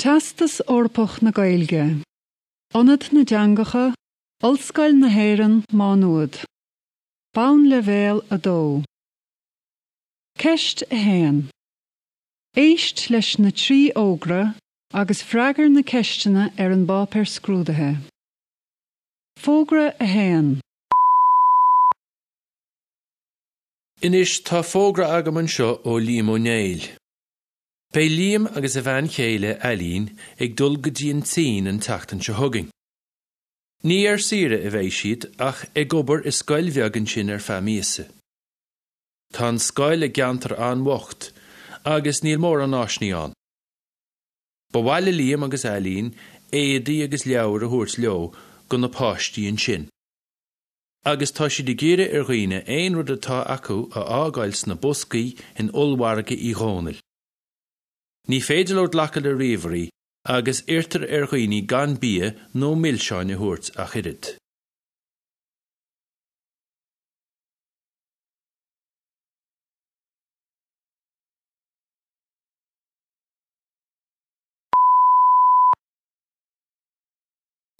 Teastas Eorpach na Gaeilge, Ionad na dTeangacha, Ollscoil na hÉireann, Má Nuad. Bonnleibhéal 2. Ceist 1. Éist leis na 3 fhógra agus freagair na ceisteanna ar an bpáipéar scrúdaithe. Fógra 1. Anois tá fógra agam anseo ó Liam Ó Néill. Beidh Liam agus a bhean chéile, Ailín, ag dul go dtí an tSín an tseachtain seo chugainn. Ní ar saoire a bheidh siad ach ag obair i scoil bheag ansin ar feadh míosa. Tá an scoil i gceantar an-bhocht agus níl mórán áiseanna ann. Ba mhaith le Liam agus Ailín éadaí agus leabhair a thabhairt leo go na páistí ansin. Agus tá siad ag iarraidh ar dhaoine aon rud atá acu a fhágáil sna boscaí in Ollmhargadh Uí Dhónaill. Ní féidir leo glacadh le ríomhairí agus iarrtar ar dhaoine gan bia nó milseáin a thabhairt ach oiread.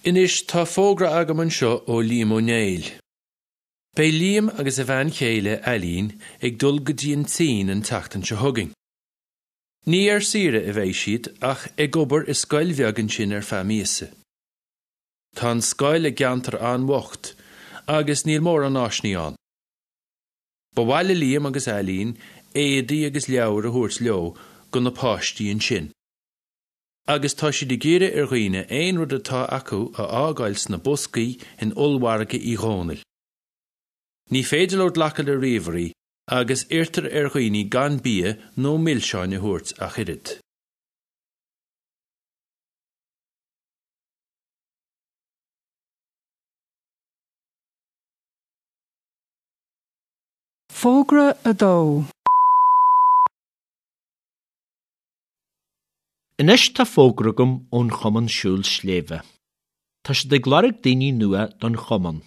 Anois tá fógra agam anseo ó Liam Ó Néill. Beidh Liam agus a bhean chéile, Ailín, ag dul go dtí an tSín an tseachtain seo chugainn. Ní ar saoire a bheidh siad ach ag obair i scoil bheag ansin ar feadh míosa. Tá an scoil i gceantar an-bhocht agus níl mórán áiseanna ann. Ba mhaith le Liam agus Ailín éadaí agus leabhair a thabhairt leo go na páistí ansin. Agus tá siad ag iarraidh ar dhaoine aon rud atá acu a fhágáil sna boscaí in Ollmhargadh Uí Dhónaill. Ní féidir leo glacadh le ríomhairí agus iarrtar ar dhaoine gan bia nó milseáin a thabhairt ach oiread. Fógra 2. Anois tá fógra agam ón Chumann Siúil Sléibhe. Tá siad ag lorg daoine nua don chumann.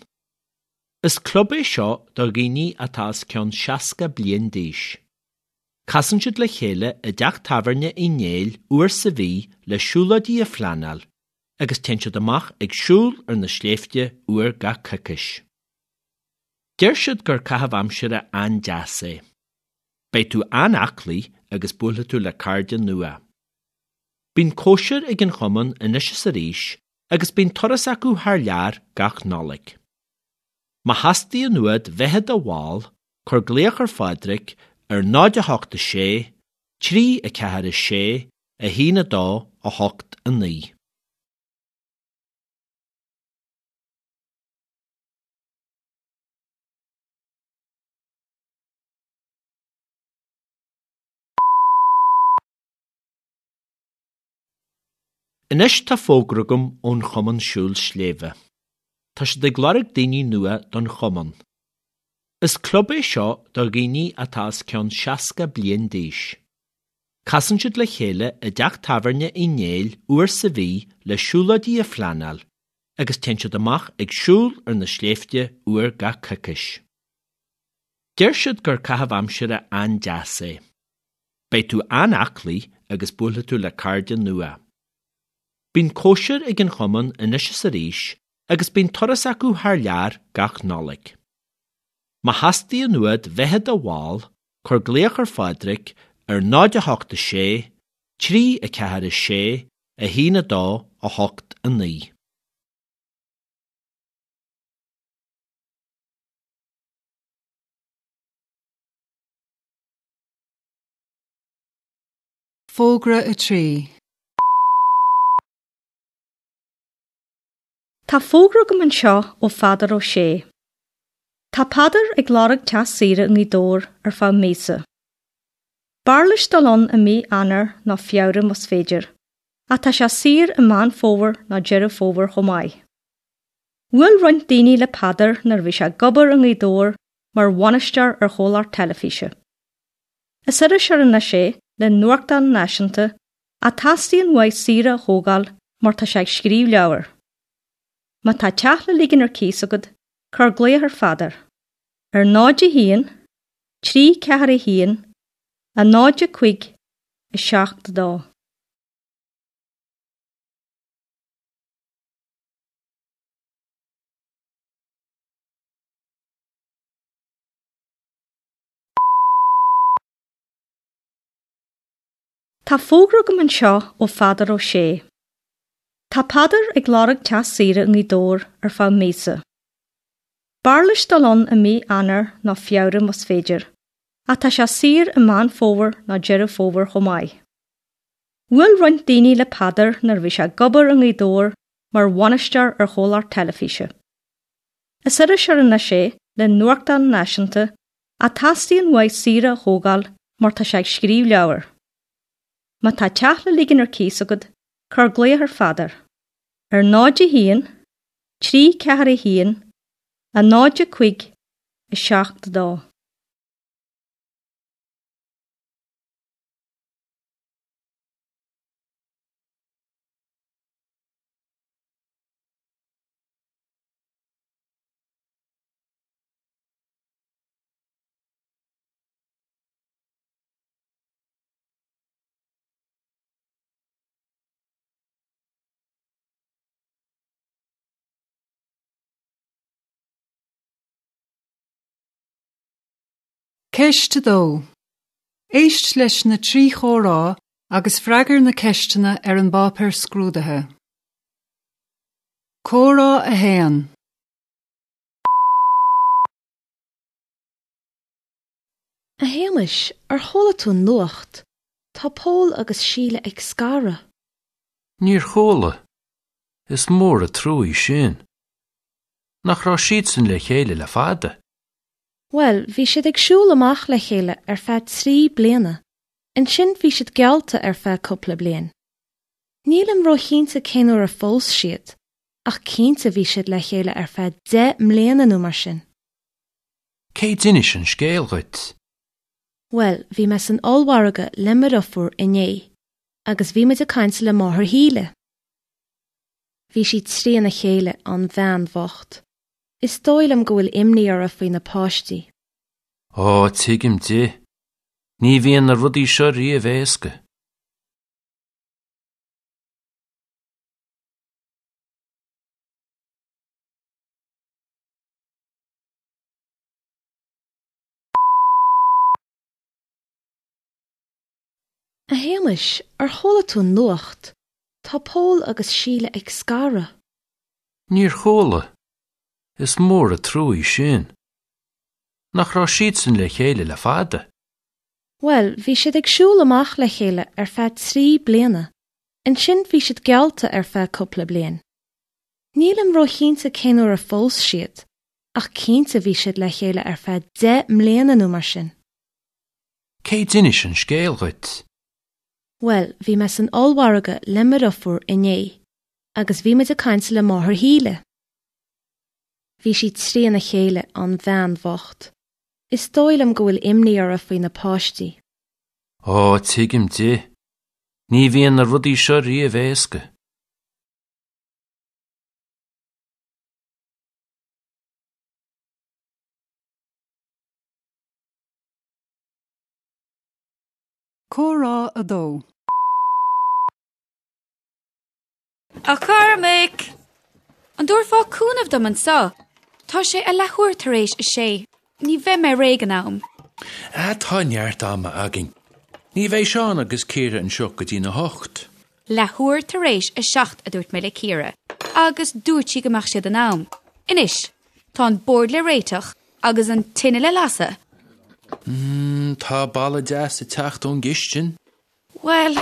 Is club é seo do dhaoine atá os cionn 60 bliain d'aois. Casann siad le chéile i dteach tábhairne Uí Néill uair sa mhí le siúlóidí a phleanáil agus téann siad amach ag siúl ar na sléibhte uair gach coicís. Deir siad gur caitheamh aimsire an-deas é. Beidh tú an-aclaí agus buailfidh tú le cairde nua. Bíonn cóisir ag an chumann anois is arís agus bíonn turas acu thar lear gach Nollaig. Má theastaíonn uait bheith i do bhall, cuir glaoch ar Phádraig ar 0 8 6 3 4 6 1 2 8 9. Anois tá fógra agam ón Chumann Siúil Sléibhe. Tá siad ag lorg daoine nua don chumann. Is club é seo do dhaoine atá os cionn 60 bliain d'aois. Casann siad le chéile i dteach tábhairne Uí Néill uair sa mhí le siúlóidí a phleanáil agus téann siad amach ag siúl ar na sléibhte uair gach coicís. Deir siad gur caitheamh aimsire an-deas é. Beidh tú an-aclaí agus buailfidh tú le cairde nua. Bíonn cóisir ag an chumann anois is arís agus bíonn turas acu thar lear gach Nollaig. Má theastaíonn uait bheith i do bhall, cuir glaoch ar Phádraig ar 0 8 6 3 4 6 1 2 8 9. Fógra 3. Tá fógra agam anseo ó Pheadar Ó Sé. Tá Peadar ag lorg teach saoire i nGaoth Dobhair ar feadh míosa. B'fhearr leis dul ann i mí Eanáir nó Feabhra más féidir, ach tá sé saor i Meán Fómhair nó Deireadh Fómhair chomh maith. Bhuail roinnt daoine le Peadar nuair a bhí sé ag obair i nGaoth Dobhair mar bhainisteoir ar chomhlacht teilifíse. Is iriseoir anois é le nuachtán náisiúnta ach teastaíonn uaidh saoire a thógáil mar tá sé ag scríobh leabhair. Má tá teach le ligean ar cíos agat, cuir glaoch ar Pheadar ar 0 1 3 4 1 0 5 7 2. Tá fógra agam anseo ó Pheadar Ó Sé. Tá Peadar ag lorg teach saoire i nGaoth Dobhair ar feadh míosa. B'fhearr leis dul ann i mí Eanáir nó Feabhra más féidir, ach tá sé saor i Meán Fómhair nó Deireadh Fómhair chomh maith. Bhuail roinnt daoine le Peadar nuair a bhí sé ag obair i nGaoth Dobhair mar bhainisteoir ar chomhlacht teilifíse. Is iriseoir anois é le nuachtán náisiúnta ach teastaíonn uaidh saoire a thógáil mar tá sé ag scríobh leabhair. Má tá teach le ligean ar cíos agat, cuir glaoch ar Pheadar ar 0 1 3 4 1 0 5 7 2. Ceist 2. Éist leis na 3 chomhrá agus freagair na ceisteanna ar an bpáipéar scrúdaithe. Comhrá 1. A Shéamais, ar chuala tú an nuacht? Tá Pól agus Síle ag scaradh. Níor chuala. Is mór an trua sin. Nach raibh siadsan le chéile le fada? Bhuel, bhí siad ag siúl amach le chéile ar feadh 3 bliana. Ansin bhí siad geallta ar feadh cúpla bliain. Nílim róchinnte cén uair a phós siad, ach cinnte bhí siad le chéile ar feadh 10 mbliana nó mar sin. Cé d'inis an scéal dhuit? Bhuel, bhí mé san ollmhargadh le mo dheirfiúr inné, agus bhí muid ag caint le máthair Shíle. Bhí sí trína chéile, an bhean bhocht. Is dóigh liom go bhfuil imní uirthi faoi na páistí. Ó, tuigim di. Ní bhíonn na rudaí seo riamh éasca. A Shéamais, ar chuala tú an nuacht? Tá Pól agus Síle ag scaradh. Níor chuala. Is mór an trua sin. Nach raibh siadsan le chéile le fada? Bhuel, bhí siad ag siúl amach le chéile ar feadh 3 bliana. Ansin bhí siad geallta ar feadh cúpla bliain. Nílim róchinnte cén uair a phós siad, ach cinnte bhí siad le chéile ar feadh 10 mbliana nó mar sin. Cé d'inis an scéal dhuit? Bhuel, bhí mé san ollmhargadh le mo dheirfiúr inné, agus bhí muid ag caint le máthair Shíle. Bhí sí trína chéile, an bhean bhocht. Is dóigh liom go bhfuil imní uirthi faoi na páistí. Ó, tuigim di. Ní bhíonn na rudaí seo riamh éasca. Comhrá 2. A Chormaic! An dtabharfá cúnamh dom anseo? Tá sé a leathuair tar éis a sé. Ní bheidh mé réidh in am. Ah, tá neart ama againn. Ní bheidh Seán agus Ciara anseo go dtí'n 8. Leathuair tar éis a 7 a dúirt mé le Ciara, agus dúirt sí go mbeadh siad in am. Anois, tá an bord le réiteach agus an tine le lasadh. Mm, tá boladh deas ag teacht ón gcistin. Bhuel,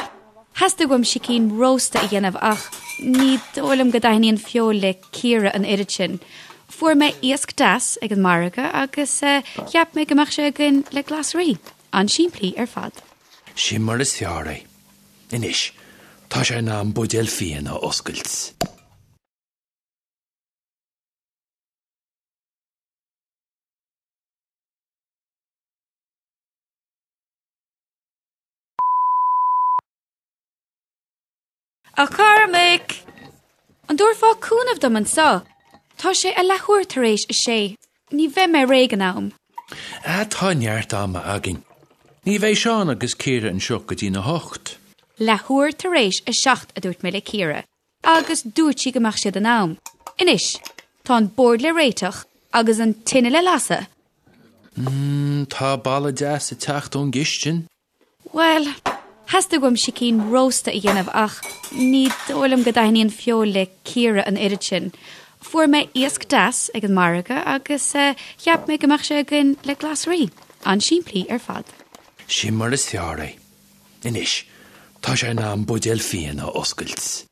theastaigh uaim sicín rósta a dhéanamh ach ní dóigh liom go dtaitníonn feoil le Ciara an oiread sin. Fuair mé iasc deas ag an margadh agus cheap mé go mbeadh sé againn le glasraí. An-simplí ar fad. Sin mar is fearr é. Anois, tá sé in am buidéal fíona a oscailt. A Chormaic! An dtabharfá cúnamh dom anseo? Tá sé a leathuair tar éis a sé. Ní bheidh mé réidh in am. Ah, tá neart ama againn. Ní bheidh Seán agus Ciara anseo go dtí'n 8. Leathuair tar éis a 7 a dúirt mé le Ciara, agus dúirt sí go mbeadh siad in am. Anois, tá an bord le réiteach agus an tine le lasadh. Mm, tá boladh deas ag teacht ón gcistin. Bhuel, Theastaigh uaim sicín rósta a dhéanamh ach ní dóigh liom go dtaitníonn feoil le Ciara an oiread sin. Fuair mé iasc deas ag an margadh agus cheap mé go mbeadh sé againn le glasraí. An-simplí ar fad. Sin mar is fearr é. Anois, tá sé in am buidéal fíona a oscailt.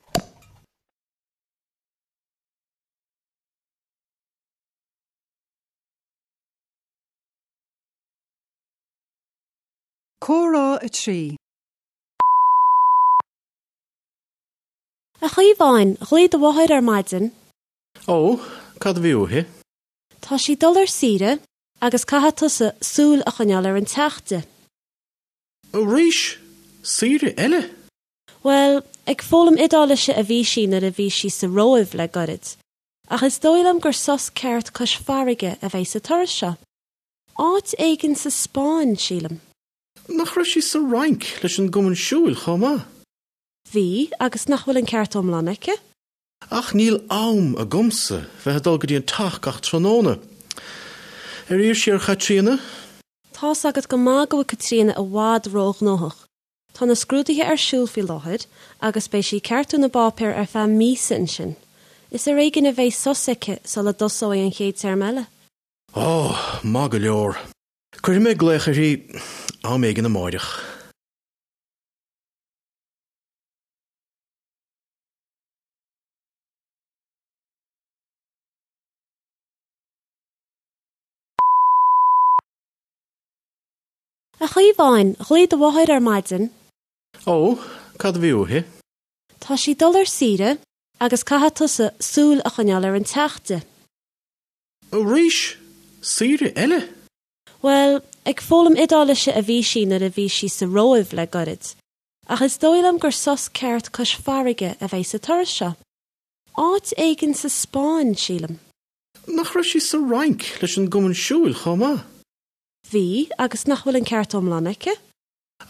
Comhrá 3. A Chaomháin, ghlaoigh do mháthair ar maidin. Ó, cad a bhí uaithi? Tá sí ag dul ar saoire agus caithfidh tusa súil a choinneáil ar an teach di. Arís? Saoire eile? Bhuel, ag foghlaim Iodáilise a bhí sí nuair a bhí sí sa Róimh le gairid, ach is dóigh liom gur sos ceart cois farraige a bheidh sa turas seo. Áit éigin sa Spáinn, sílim. Nach raibh sí sa Fhrainc leis an gcumann siúil chomh maith? Bhí, agus nach bhfuil an ceart iomlán aici? Ach níl am agamsa bheith ag dul go dtí an teach gach tráthnóna. Ar iarr sí ar Chaitríona? Tá's agat go maith go bhfuil Caitríona i bhfad róghnóthach. Tá na scrúduithe ar siúl faoi láthair agus beidh sí ag ceartú na bpáipéar ar feadh míosa ansin. Is ar éigean a bheidh sos aici sula dtosóidh an chéad téarma eile. Ó, maith go leor. Cuirfidh mé glaoch uirthi am éigin amáireach. A Chaomháin, ghlaoigh do mháthair ar maidin. Ó, cad a bhí uaithi? Tá sí ag dul ar saoire agus caithfidh tusa súil a choinneáil ar an teach di. Arís? Saoire eile? Bhuel, ag foghlaim Iodáilise a bhí sí nuair a bhí sí sa Róimh le gairid, ach is dóigh liom gur sos ceart cois farraige a bheidh sa turas seo. Áit éigin sa Spáinn, sílim. Nach raibh sí sa Fhrainc leis an gcumann siúil chomh maith? Bhí, agus nach bhfuil an ceart iomlán aici?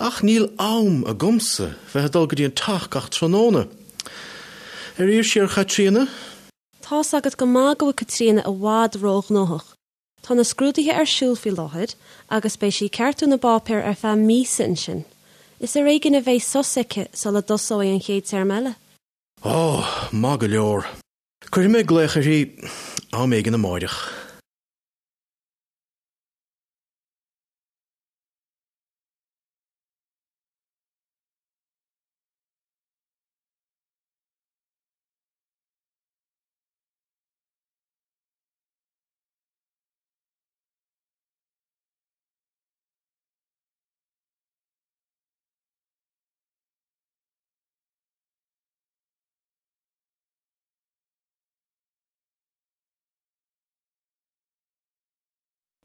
Ach níl am agamsa bheith ag dul go dtí an teach gach tráthnóna. Ar iarr sí ar Chaitríona? Tá's agat go maith go bhfuil Caitríona i bhfad róghnóthach. Tá na scrúduithe ar siúl faoi láthair agus beidh sí ag ceartú na bpáipéar ar feadh míosa ansin. Is ar éigean a bheidh sos aici sula dtosóidh an chéad téarma eile. Ó, maith go leor. Cuirfidh mé glaoch uirthi am éigin amáireach.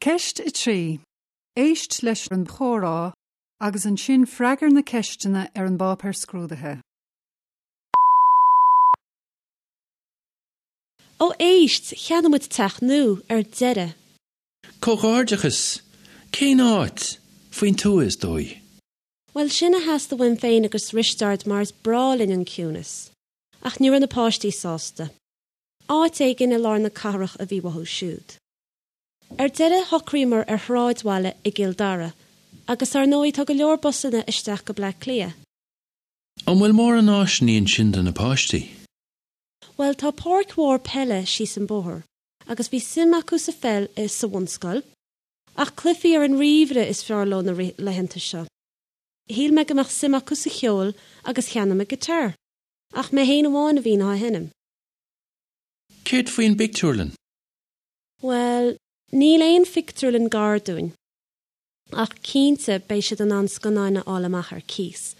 Ceist 3. Éist leis an chomhrá agus ansin freagair na ceisteanna ar an bpáipéar scrúdaithe. Ó éist, cheannaigh muid teach nua, ar deireadh. Comhghairdeachas! Cén áit? Faoin tuath, is dóigh. Bhuel, sin a theastaigh uaim féin agus Risteárd mar is breá linn an ciúnas. Ach ní raibh na páistí sásta. Áit éigin i lár na cathrach a bhí uathu siúd. Ar deireadh shocraíomar ar shráidbhaile i gCill Dara, agus ar ndóigh tá go leor busanna isteach go Bleá Cliath. An bhfuil mórán áiseanna ansin do na páistí? Bhuel, tá páirc mhór peile síos an bóthar, agus bhí suim acu sa pheil sa bhunscoil, ach cluichí ar an ríomhaire is fearr leo na laethanta seo. Shíl mé go mbeadh suim acu sa cheol agus cheannaigh mé guitar, ach mé féin amháin a bhíonn á sheinm. Céard faoin bpictiúrlann? Bhuel, níl aon phictiúrlann gar dúinn. Ach cinnte, beidh siad in ann scannáin a fháil amach ar cíos,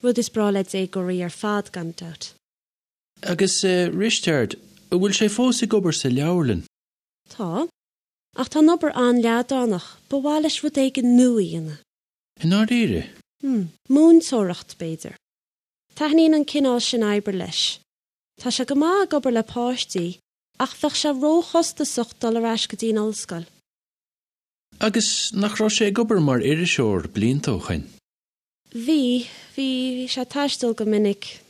rud is breá le déagóirí ar fad, gan dabht. Agus Risteard, an bhfuil sé fós ag obair sa leabharlann? Tá. Ach tá an obair an-leadránach, ba mhaith leis rud éigin nua a dhéanamh. I ndáiríre? Hmm. Múinteoireacht, b'fhéidir. Taitníonn an cineál sin oibre leis. Tá sé go maith ag obair le páistí, ach bheadh sé róchostasach dul ar ais go dtí an ollscoil. Agus nach raibh sé ag obair mar iriseoir blianta ó shoin? Bhí, bhí, bhí sé ag taisteal go minic.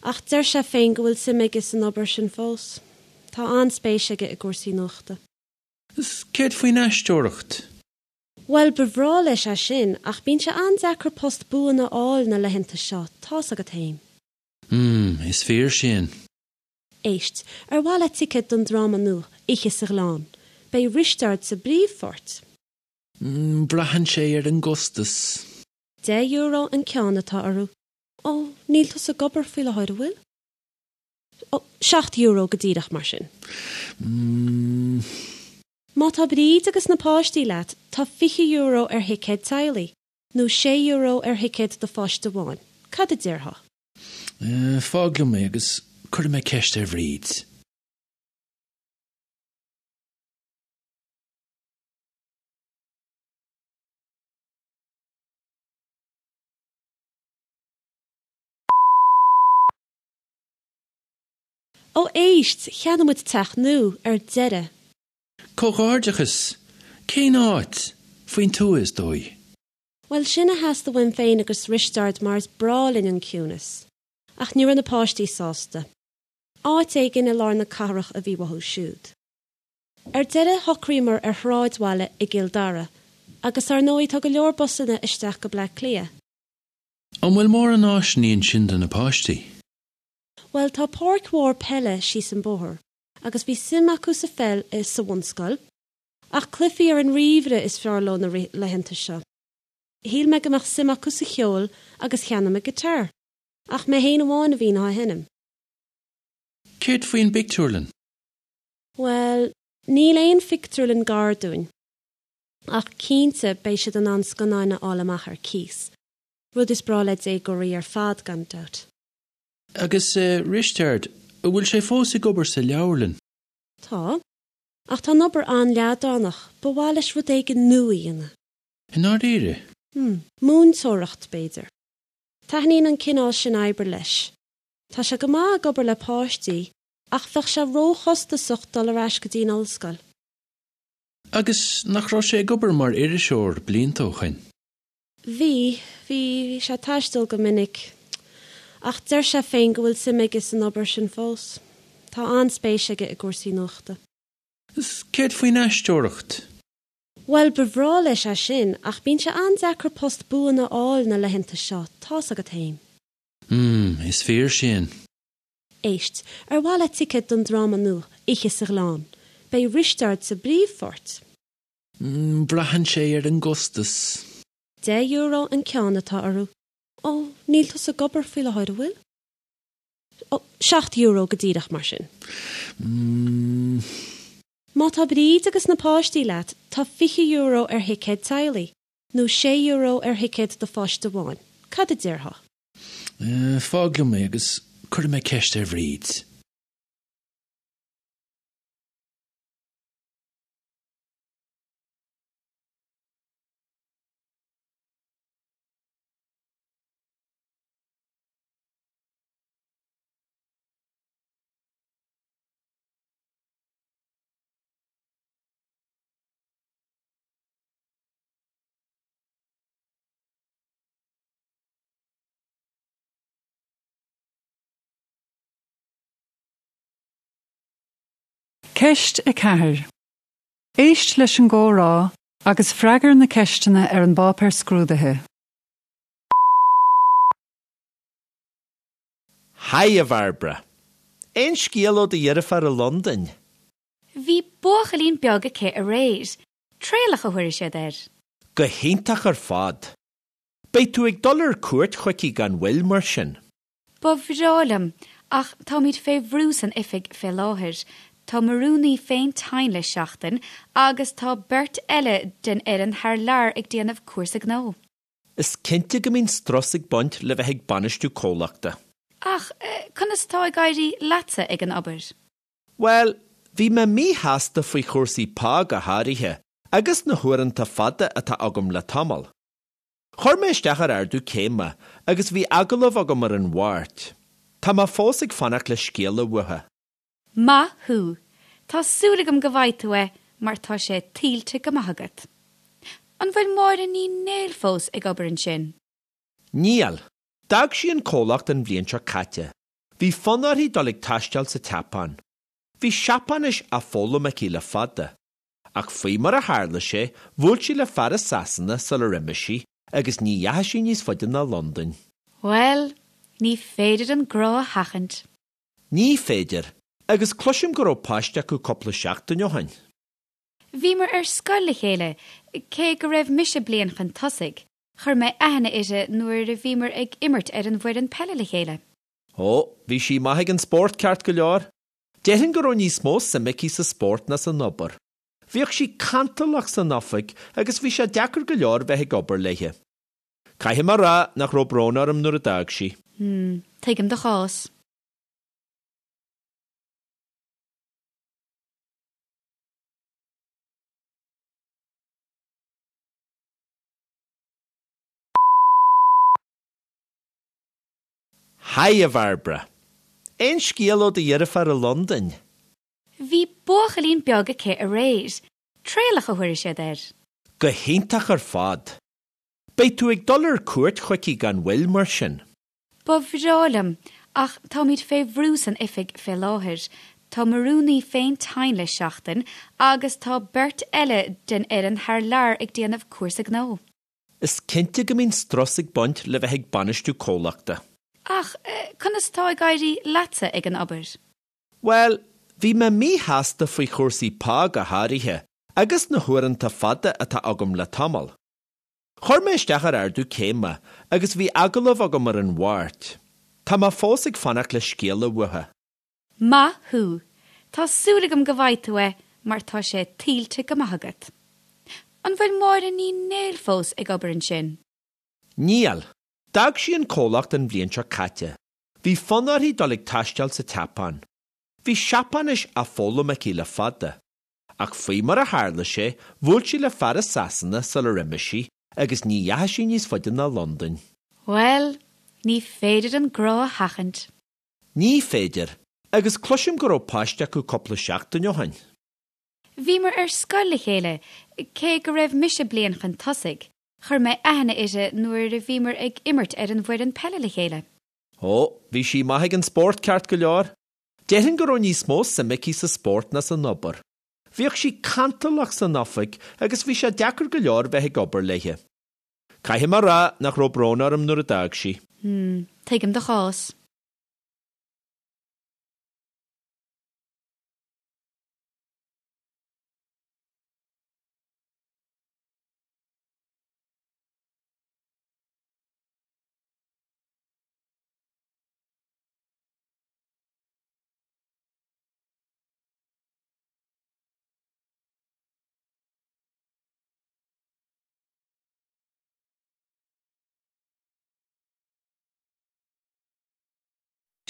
Ach deir sé féin go bhfuil suim aige san obair sin fós. Tá an-spéis aige i gcúrsaí nuachta. Is céard faoin aisteoireacht? Bhuel, ba bhreá leis é sin, ach bíonn sé an-deacair post buan a fháil na laethanta seo, tá's agat fhéin. Mm, is fíor sin. Éist, ar mhaith leat ticéad don dráma nua, Oíche sa Ghleann? Beidh Risteárd sa bpríomhpháirt. Mm, braitheann sé ar an gcostas. €10 an ceann atá orthu. Ó, níl tusa ag obair faoi láthair, an bhfuil? Ó, €7 go díreach, mar sin. Mm. Má tá Bríd agus na páistí leat, tá €20 ar thicéad teaghlaigh, nó €6 ar thicéad do pháiste amháin. Cad a déarfá? Eh, fág liom é agus cuirfidh mé ceist ar Bhríd. Ó éist, cheannaigh muid teach nua, ar deireadh. Comhghairdeachas! Cén áit? Faoin tuath, is dóigh. Bhuel, sin a theastaigh uaim féin agus Risteárd mar is breá linn an ciúnas. Ach ní raibh na páistí sásta. Áit éigin i lár na cathrach a bhí uathu siúd. Ar deireadh shocraíomar ar shráidbhaile i gCill Dara, agus ar ndóigh tá go leor busanna isteach go Bleá Cliath. An bhfuil mórán áiseanna ansin do na páistí? Bhuel, tá páirc mhór peile síos an bóthar, agus bhí suim acu sa pheil sa bhunscoil, ach cluichí ar an ríomhaire is fearr leo na laethanta seo. Shíl mé go mbeadh suim acu sa cheol agus cheannaigh mé guitar, ach mé féin amháin a bhíonn á sheinm. Céard faoin bpictiúrlann? Bhuel, níl aon phictiúrlann gar dúinn. Ach cinnte beidh siad in ann scannáin a fháil amach ar cíos, rud is breá le déagóirí ar fad, gan dabht. Agus Risteard, an bhfuil sé fós ag obair sa leabharlann? Tá. Ach tá an obair an-leadránach, ba mhaith leis rud éigin nua a dhéanamh. I ndáiríre? Hmm. Múinteoireacht, b'fhéidir. Taitníonn an cineál sin oibre leis. Tá sé go maith ag obair le páistí, ach bheadh sé róchostasach dul ar ais go dtí an ollscoil. Agus nach raibh sé ag obair mar iriseoir blianta ó shoin? Bhí, bhí, bhí sé ag taisteal go minic. Ach deir sé féin go bhfuil suim aige san obair sin fós. Tá an-spéis aige i gcúrsaí nuachta. Is céard faoin aisteoireacht? Bhuel, ba bhreá leis é sin, ach bíonn sé an-deacair post buan a fháil na laethanta seo, tá's agat fhéin. Mm, is fíor sin. Éist, ar mhaith leat ticéad don dráma nua, Oíche sa Ghleann? Beidh Risteárd sa bpríomhpháirt. Braitheann sé ar an gcostas. €10 an ceann atá orthu. Ó, níl tusa ag obair faoi láthair, an bhfuil? Ó, €7 go díreach, mar sin. Má tá Bríd agus na páistí leat, tá €20 ar thicéad teaghlaigh, nó €6 ar thicéad do pháiste amháin. Cad a déarfá? Fág liom é agus cuirfidh mé ceist ar Bhríd. Ceist 4. Éist leis an gcomhrá agus freagair na ceisteanna ar an bpáipéar scrúdaithe. Haigh, a Bhairbre. Aon scéal ó do dheirfiúr i Londain? Bhí buachaillín beag aici aréir. Traolach a thabharfaidh siad air. Go hiontach ar fad. Beidh tú ag dul ar cuairt chuici gan mhoill, mar sin. Ba bhreá liom, ach táimid fé bhrú san oifig fé láthair. Tá mo rúnaí féin tinn le seachtain agus tá beirt eile den fhoireann thar lear ag déanamh cúrsa gnó. Is cinnte go mbíonn strus ag baint le bheith ag bainistiú comhlachta. Ach conas atá ag éirí leatsa ag an obair? Bhuel, bhí mé míshásta faoi chúrsaí pá go háirithe agus na huaireanta fada atá agam le tamall. Chuir mé isteach ar ardú céime agus bhí agallamh agam ar an Mháirt. Tá mé fós ag fanacht le scéala uathu. Maith thú! Tá súil agam go bhfaighidh tú é mar tá sé tuillte go maith agat. An bhfuil Máire Ní Néill fós ag obair ansin? Níl. D'fhág sí an comhlacht an bhliain seo caite. Bhí fonn uirthi dul ag taisteal sa tSeapáin. Bhí Seapáinis á foghlaim aici le fada. Ach faoi mar a tharla sé, bhuail sí le fear i Sasana sular imigh sí agus ní dheachaigh sí níos faide ná Londain. Bhuel, ní féidir an grá a sheachaint. Ní féidir, agus cloisim go raibh páiste acu cúpla seachtain ó shin. Bhíomar ar scoil le chéile, cé go raibh mise bliain chun tosaigh. Chuir mé aithne uirthi nuair a bhíomar ag imirt ar an bhfoireann peile le chéile. Ó, bhí sí maith ag an spórt ceart go leor. Déarfainn go raibh níos mó suime aici sa spórt ná san obair. Bhíodh sí cantalach san oifig agus bhí sé deacair go leor bheith ag obair léi. Caithfidh mé a rá nach raibh brón orm nuair a d'fhág sí. Hmm, tuigim do chás. Haigh, a Bhairbre. Aon scéal ó do dheirfiúr i Londain? Bhí buachaillín beag aici aréir. Traolach a thabharfaidh siad air. Go hiontach ar fad. Beidh tú ag dul ar cuairt chuici gan mhoill, mar sin. Ba bhreá liom, ach táimid fé bhrú san oifig fé láthair. Tá mo rúnaí féin tinn le seachtain agus tá beirt eile den fhoireann thar lear ag déanamh cúrsa gnó. Is cinnte go mbíonn strus ag baint le bheith ag bainistiú comhlachta. Ach conas atá ag éirí leatsa ag an obair? Bhuel, bhí mé míshásta faoi chúrsaí pá go háirithe agus na huaireanta fada atá agam le tamall. Chuir mé isteach ar ardú céime agus bhí agallamh agam ar an Mháirt. Tá mé fós ag fanacht le scéala uathu. Maith thú! Tá súil agam go bhfaighidh tú é mar tá sé tuillte go maith agat. An bhfuil Máire Ní Néill fós ag obair ansin? Níl. D'fhág sí an comhlacht an bhliain seo caite. Bhí fonn uirthi dul ag taisteal sa tSeapáin. Bhí Seapáinis á foghlaim aici le fada. Ach faoi mar a tharla sé, bhuail sí le fear i Sasana sular imigh sí agus ní dheachaigh sí níos faide ná Londain. Bhuel, ní féidir an grá a sheachaint. Ní féidir, agus cloisim go raibh páiste acu cúpla seachtain ó shin. Bhíomar ar scoil le chéile, cé go raibh mise bliain chun tosaigh. Chuir mé aithne uirthi nuair a bhíomar ag imirt ar an bhfoireann peile le chéile. Ó, bhí sí maith ag an spórt ceart go leor. Déarfainn go raibh níos mó suime aici sa spórt ná san obair. Bhíodh sí cantalach san oifig agus bhí sé deacair go leor bheith ag obair léi. Caithfidh mé a rá nach raibh brón orm nuair a d'fhág sí. Hmm, tuigim do chás.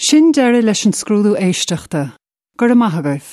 Sin deireadh leis an scrúdú éisteachta. Go raibh maith agaibh.